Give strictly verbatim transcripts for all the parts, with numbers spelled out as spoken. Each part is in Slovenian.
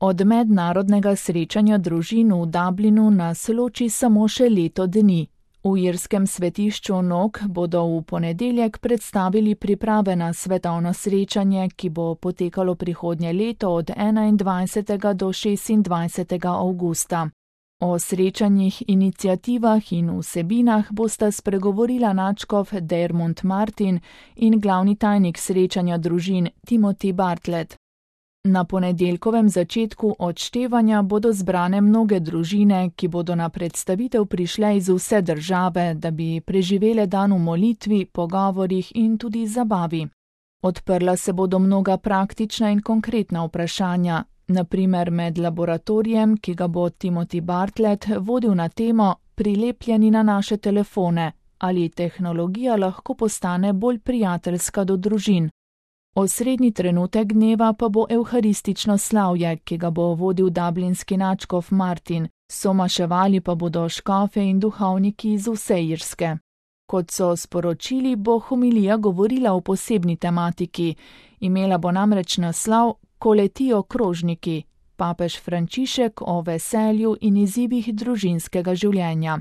Od mednarodnega srečanja družin v Dublinu nas loči samo še leto dni. V irskem svetišču Nog bodo v ponedeljek predstavili priprave na svetovno srečanje, ki bo potekalo prihodnje leto od enaindvajsetega do šestindvajsetega avgusta. O srečanjih, iniciativah in vsebinah bosta spregovorila nadškof Diarmuid Martin in glavni tajnik srečanja družin Timothy Bartlett. Na ponedeljkovem začetku odštevanja bodo zbrane mnoge družine, ki bodo na predstavitev prišle iz vse države, da bi preživele dan v molitvi, pogovorih in tudi zabavi. Odprla se bodo mnoga praktična in konkretna vprašanja, na primer med laboratorijem, ki ga bo Timothy Bartlett vodil na temo Prilepljeni na naše telefone, ali tehnologija lahko postane bolj prijateljska do družin. Osrednji trenutek dneva pa bo evharistično slavje, ki ga bo vodil dublinski nadškof Martin, somaševali pa bodo škofe in duhovniki iz vse Irske. Kot so sporočili, bo homilija govorila o posebni tematiki, imela bo namreč naslov Ko letijo krožniki, papež Frančišek o veselju in izzivih družinskega življenja.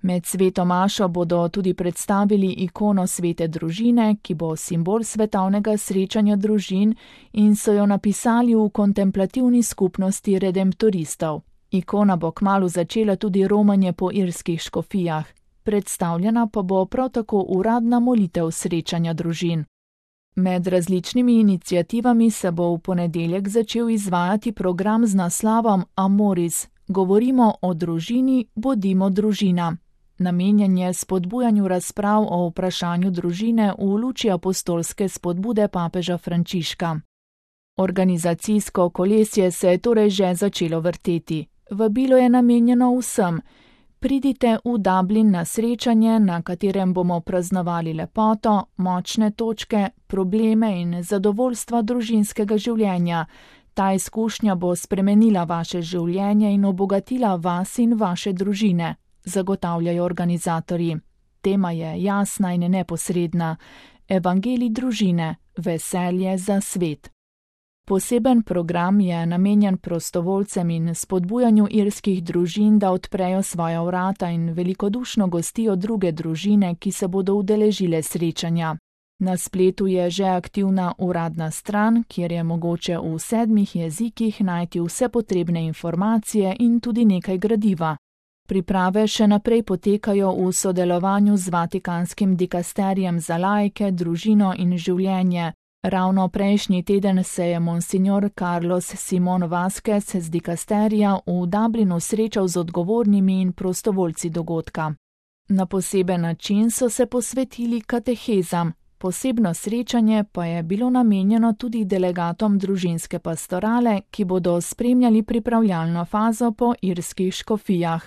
Med sveto mašo bodo tudi predstavili ikono svete družine, ki bo simbol svetovnega srečanja družin in so jo napisali v kontemplativni skupnosti redemptoristov. Ikona bo kmalu začela tudi romanje po irskih škofijah, predstavljena pa bo prav tako uradna molitev srečanja družin. Med različnimi iniciativami se bo v ponedeljek začel izvajati program z naslovom Amoris, govorimo o družini, bodimo družina. Namenjen je spodbujanju razprav o vprašanju družine v luči apostolske spodbude papeža Frančiška. Organizacijsko kolesje se je torej že začelo vrteti. Vabilo je namenjeno vsem. Pridite v Dublin na srečanje, na katerem bomo praznovali lepoto, močne točke, probleme in zadovoljstva družinskega življenja. Ta izkušnja bo spremenila vaše življenje in obogatila vas in vaše družine, zagotavljajo organizatorji. Tema je jasna in neposredna. Evangelij družine, veselje za svet. Poseben program je namenjen prostovoljcem in spodbujanju irskih družin, da odprejo svoja vrata in velikodušno gostijo druge družine, ki se bodo udeležile srečanja. Na spletu je že aktivna uradna stran, kjer je mogoče v sedmih jezikih najti vse potrebne informacije in tudi nekaj gradiva. Priprave še naprej potekajo v sodelovanju z Vatikanskim dikasterijem za laike, družino in življenje. Ravno prejšnji teden se je monsignor Carlos Simon Vázquez z dikasterija v Dublinu srečal z odgovornimi in prostovoljci dogodka. Na poseben način so se posvetili katehezam, posebno srečanje pa je bilo namenjeno tudi delegatom družinske pastorale, ki bodo spremljali pripravljalno fazo po irskih škofijah.